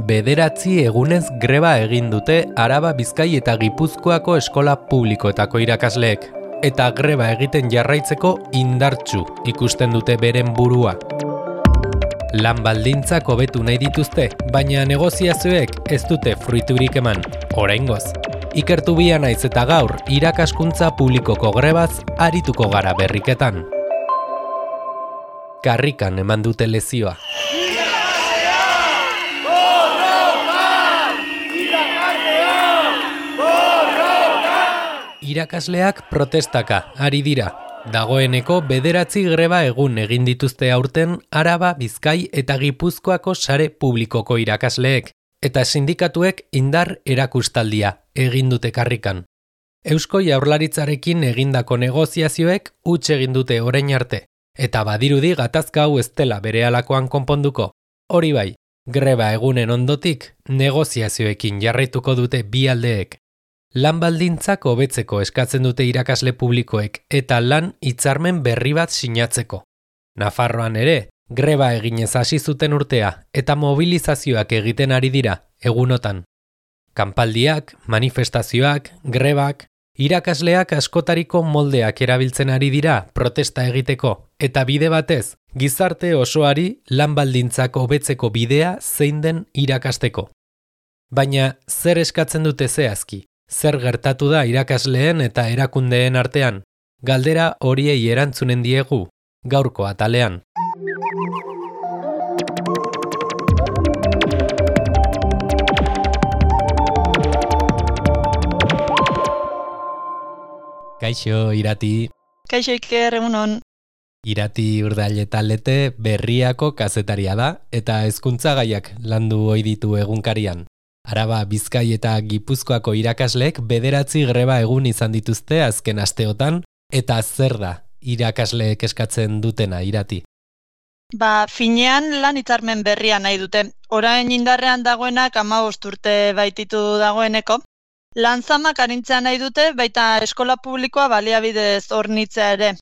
9 egunez greba egin dute Araba, Bizkai eta Gipuzkoako eskola publikoetako irakasleek, eta greba egiten jarraitzeko indartsu ikusten dute beren burua. Lan baldintzak hobetu nahi dituzte, baina negoziazioek ez dute fruiturik eman, oraingoz. Ikertu bia naiz eta gaur irakaskuntza publikoko grebaz arituko gara berriketan. Karrikan eman dute lezioa. Irakasleak protestaka ari dira. Dagoeneko 9 greba egun egin dituzte aurten Araba, Bizkai eta Gipuzkoako sare publikoko irakasleek, eta sindikatuek indar erakustaldia egin dute karrikan. Eusko Jaurlaritzarekin egindako negoziazioek huts egin dute orain arte, eta badirudi gatazka hau ez dela berehalakoan konponduko. Hori bai, greba egunen ondotik negoziazioekin jarraituko dute bi aldeek. Lan baldintzak hobetzeko eskatzen dute irakasle publikoek eta lan hitzarmen berri bat sinatzeko. Nafarroan ere, greba eginez hasi zuten urtea eta mobilizazioak egiten ari dira egunotan. Kanpaldiak, manifestazioak, grebak, irakasleak askotariko moldeak erabiltzen ari dira protesta egiteko eta bide batez, gizarte osoari lan baldintzak hobetzeko bidea zein den irakasteko. Baina zer eskatzen dute zehazki? Zer gertatu da irakasleen eta erakundeen artean? Galdera horiei erantzunen diegu, gaurko atalean. Kaixo, Irati. Kaixo, Iker, egunon. Irati Urdailetalete Berriako kazetaria da eta hezkuntza gaiak landu ohi ditu egunkarian. Araba, Bizkai eta Gipuzkoako irakasleek 9 greba egun izan dituzte azken asteotan, eta zer da irakasleek eskatzen dutena, Irati? Finean lan hitzarmen berria nahi dute. Orain indarrean dagoenak 15 urte baititu dagoeneko. Lan zamak arintzea nahi dute, baita eskola publikoa baliabidez hornitzea ere.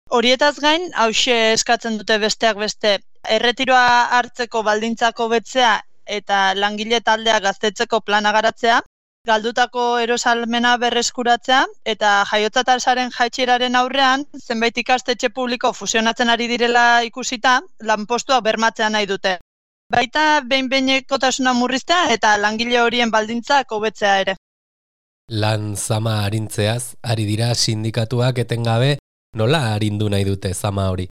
Horietaz gain, hauxe eskatzen dute besteak beste, erretiroa hartzeko baldintzak hobetzea eta langile taldea gaztetzeko plana garatzea, galdutako erosalmena berreskuratzea eta jaiotza tasaren jaitsieraren aurrean zenbait ikastetxe publiko fusionatzen ari direla ikusita, lanpostuak bermatzea nahi dute. Baita behin-behinekotasuna murriztea eta langile horien baldintzak hobetzea ere. Lan zama arintzeaz, ari dira sindikatuak etengabe, nola arindu nahi dute zama hori?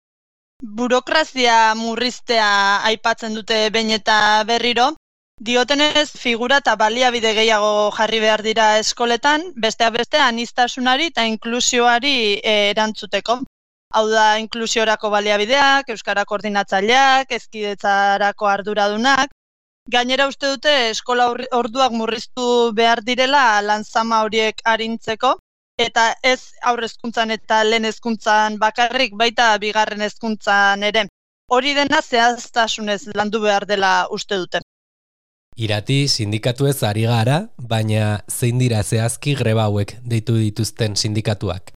Burokrazia murriztea aipatzen dute behin eta berriro. Diotenez figura eta baliabide gehiago jarri behar dira eskoletan, besteak beste aniztasunari eta inklusioari erantzuteko. Hau da, inklusiorako baliabideak, euskara koordinatzaileak, hezkidetzarako arduradunak. Gainera uste dute eskola orduak murriztu behar direla lan zama horiek arintzeko, eta ez haur hezkuntzan eta lehen hezkuntzan bakarrik, baita bigarren hezkuntzan ere. Hori dena zehaztasunez landu behar dela uste dute. Irati, sindikatuez ari gara, baina zein dira zehazki greba hauek deitu dituzten sindikatuak?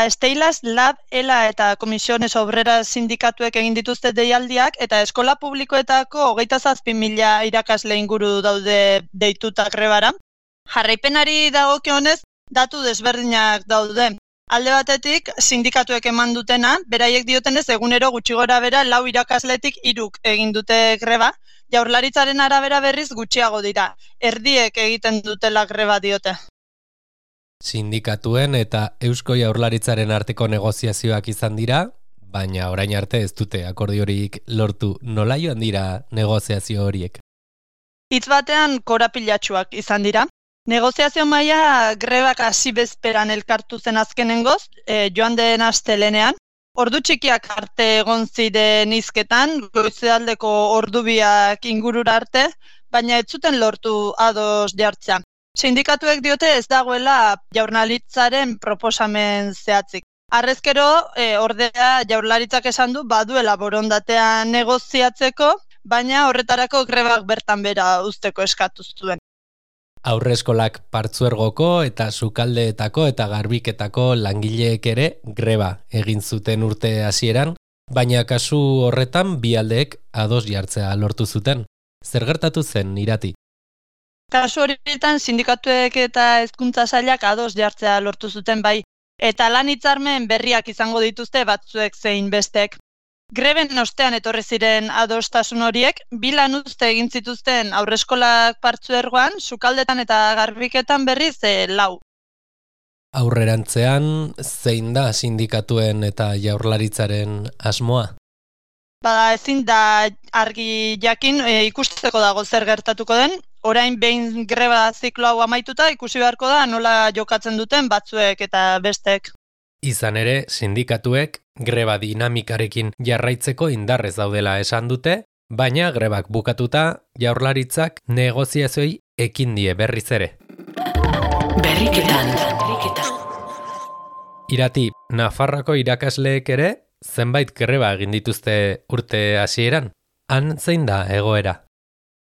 Steilas, Lab, ELA eta Komisiones Obreras sindikatuek egin dituzte deialdiak eta eskola publikoetako 27.000 irakasle inguru daude deituta grebara. Jarraipenari dagokionez, datu desberdinak daude. Alde batetik, sindikatuek eman dutena, beraiek diotenez egunero gutxi gora bera 4 irakasletik 3 egin dute greba, Jaurlaritzaren arabera berriz gutxiago dira. Erdiek egiten dutela greba diote. Sindikatuen eta Eusko Jaurlaritzaren arteko negoziazioak izan dira, baina orain arte ez dute akordiorik lortu. Nola joan dira negoziazio horiek? Hitz batean korapilatsuak izan dira. Negoziazio maila grebak hasi bezperan elkartu zen azkenengoz, joan den astelehenean. Ordu txikiak arte egon ziren hizketan, goizaldeko ordubiak ingurura arte, baina ez zuten lortu ados jartzea. Sindikatuek diote ez dagoela Jaurlaritzaren proposamen zehatzik. Harrezkero, ordea Jaurlaritzak esan du baduela borondatea negoziatzeko, baina horretarako grebak bertan bera uzteko eskatu zuen. Aurreskolak partzuergoko eta sukaldeetako eta garbiketako langileek ere greba egin zuten urte hasieran, baina kasu horretan bi aldeek ados jartzea lortu zuten. Zer gertatu zen, Irati? Kasu horietan sindikatuek eta hezkuntza sailak ados jartzea lortu zuten bai, eta lan hitzarmen berriak izango dituzte batzuek zein bestek. Greben ostean etorri ziren adostasun horiek, bi lanuzte egin zituzten haurreskolak partzuergoan, sukaldetan eta garbiketan berriz 4. Aurrerantzean, zein da sindikatuen eta jaurlaritzaren asmoa? Bada ezin da argi jakin ikusteko dago zer gertatuko den, orain behin greba ziklo hau amaituta ikusi beharko da nola jokatzen duten batzuek eta bestek. Izan ere, sindikatuek greba dinamikarekin jarraitzeko indarrez daudela esan dute, baina grebak bukatuta jaurlaritzak negoziazioi ekin die berriz ere. Berriketan. Irati, Nafarroako irakasleek ere zenbait greba egin dituzte urte hasieran. Han zein da egoera?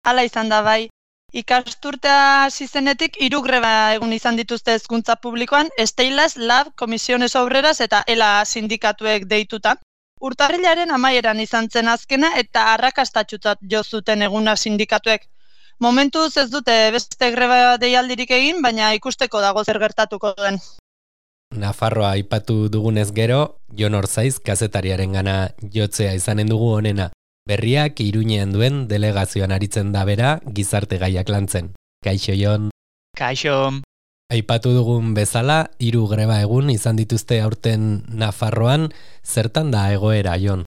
Hala izan da bai. Ikasturtea hasi zenetik 3 greba egun izan dituzte hezkuntza publikoan, Steilas, Lab, Comisiones Obreras eta ELA sindikatuek deituta. Urtarrilaren amaieran izan zen azkena eta arrakastatsutzat jo zuten eguna sindikatuek. Momentuz ez dute beste greba deialdirik egin, baina ikusteko dago zer gertatuko den. Nafarroa aipatu dugunez gero, Jon Orzaiz kazetariarengana jotzea izanen dugu honena. Berriak Iruñean duen delegazioan aritzen da bera gizarte gaiak lantzen. Kaixo, Jon. Kaixo. Aipatu dugun bezala, 3 greba egun izan dituzte aurten Nafarroan, zertan da egoera, Jon?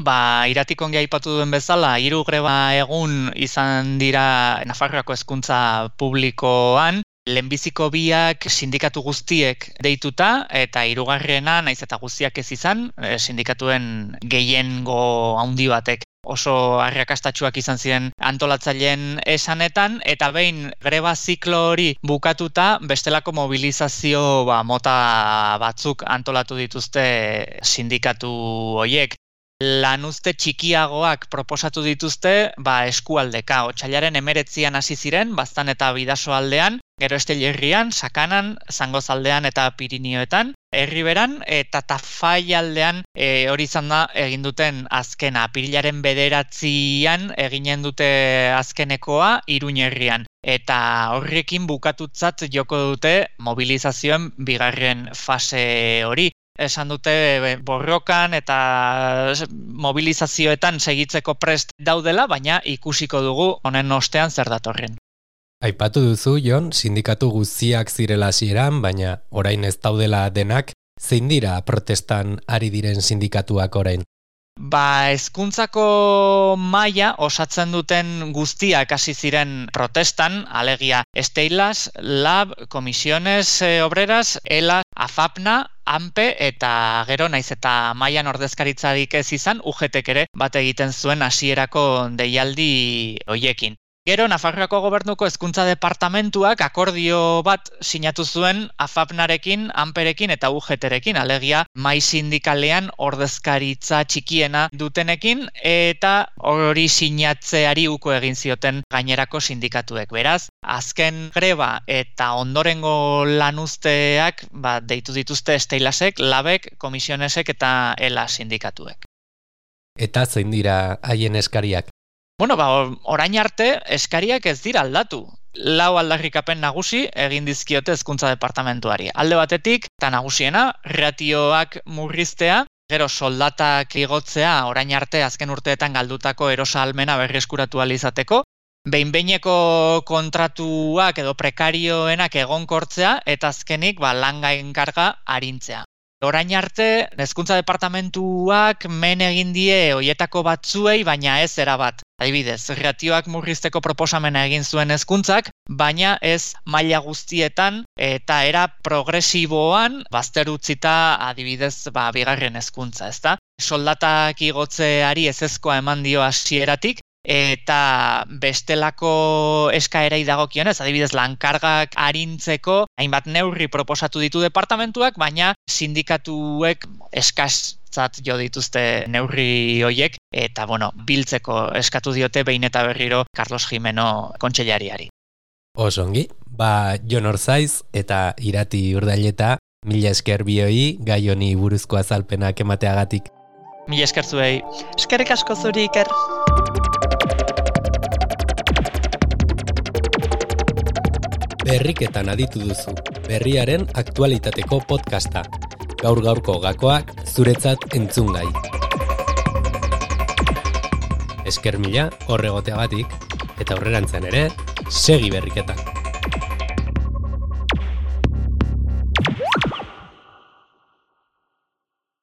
Iratik ongi aipatu duen bezala, 3 greba egun izan dira Nafarroako hezkuntza publikoan, lehenbiziko 2 sindikatu guztiek deituta, eta 3. naiz eta guztiak ez izan, sindikatuen gehiengo handi batek oso arrakastatsuak izan ziren antolatzaileen esanetan, eta behin greba ziklo hori bukatuta, bestelako mobilizazio mota batzuk antolatu dituzte sindikatu horiek. Lanuzte txikiagoak proposatu dituzte eskualdeka. Otsailaren 19an hasi ziren, Baztan eta Bidasoaldean, gero Estellerrian, Sakanan, Zangozaldean eta Pirinioetan, Erriberan eta Tafaialdean hori izan da egin duten azkena. Apirilaren 9an eginen dute azkenekoa Iruñerrian. Eta horrekin bukatutzat joko dute mobilizazioen 2. fase hori. Esan dute borrokan eta mobilizazioetan segitzeko prest daudela, baina ikusiko dugu honen ostean zer datorren. Aipatu duzu, Jon, sindikatu guztiak zirela hasieran, baina orain ez daudela denak, zein dira protestan ari diren sindikatuak orain? Hezkuntzako maila osatzen duten guztiak hasi ziren protestan, alegia Steilas, Lab, Comisiones Obreras, ELA, AFAPNA, ANPE eta gero naiz eta mailan ordezkaritzarik ez izan, UGTek ere bat egiten zuen hasierako deialdi hoiekin. Gero, Nafarroako Gobernuko Hezkuntza Departamentuak akordio bat sinatu zuen AFAPNarekin, ANPErekin eta UGTrekin, alegia mai sindikalean ordezkaritza txikiena dutenekin, eta hori sinatzeari uko egin zioten gainerako sindikatuek. Beraz, azken greba eta ondorengo lanuzteak deitu dituzte Steilasek, Labek, Comisionesek eta ELA sindikatuek. Eta zein dira haien eskariak? Orain arte eskariak ez dira aldatu. 4 aldarrikapen nagusi egin dizkiote hezkuntza departamentuari. Alde batetik, eta nagusiena, ratioak murriztea, gero soldatak igotzea orain arte azken urteetan galdutako erosahalmena berreskuratu ahal izateko, behin-behineko kontratuak edo prekarioenak egonkortzea, eta azkenik lan gainkarga arintzea. Orain arte, hezkuntza departamentuak men egin die hoietako batzuei, baina ez erabat. Adibidez, ratioak murrizteko proposamena egin zuen hezkuntzak, baina ez maila guztietan eta era progresiboan bazter utzita adibidez 2. hezkuntza, ezta? Soldatak igotzeari ezezkoa eman dio hasieratik, eta bestelako eskaerei dagokionez, adibidez lankargak arintzeko hainbat neurri proposatu ditu departamentuak, baina sindikatuek eskatzat jo dituzte neurri hoiek, eta biltzeko eskatu diote behin eta berriro Carlos Jimeno kontseilariari. Osongi, Jon Orzaiz eta Irati Urdaileta, mila esker bioi gai honi buruzko azalpenak emateagatik. Mila esker zuei. Eskerrik asko zuri, Iker. Berriketan aditu duzu, berriaren aktualitateko podcasta. Gaur-gaurko gakoak zuretzat entzungai. Esker mila horregoteagatik, eta aurrerantzean ere, segi berriketan.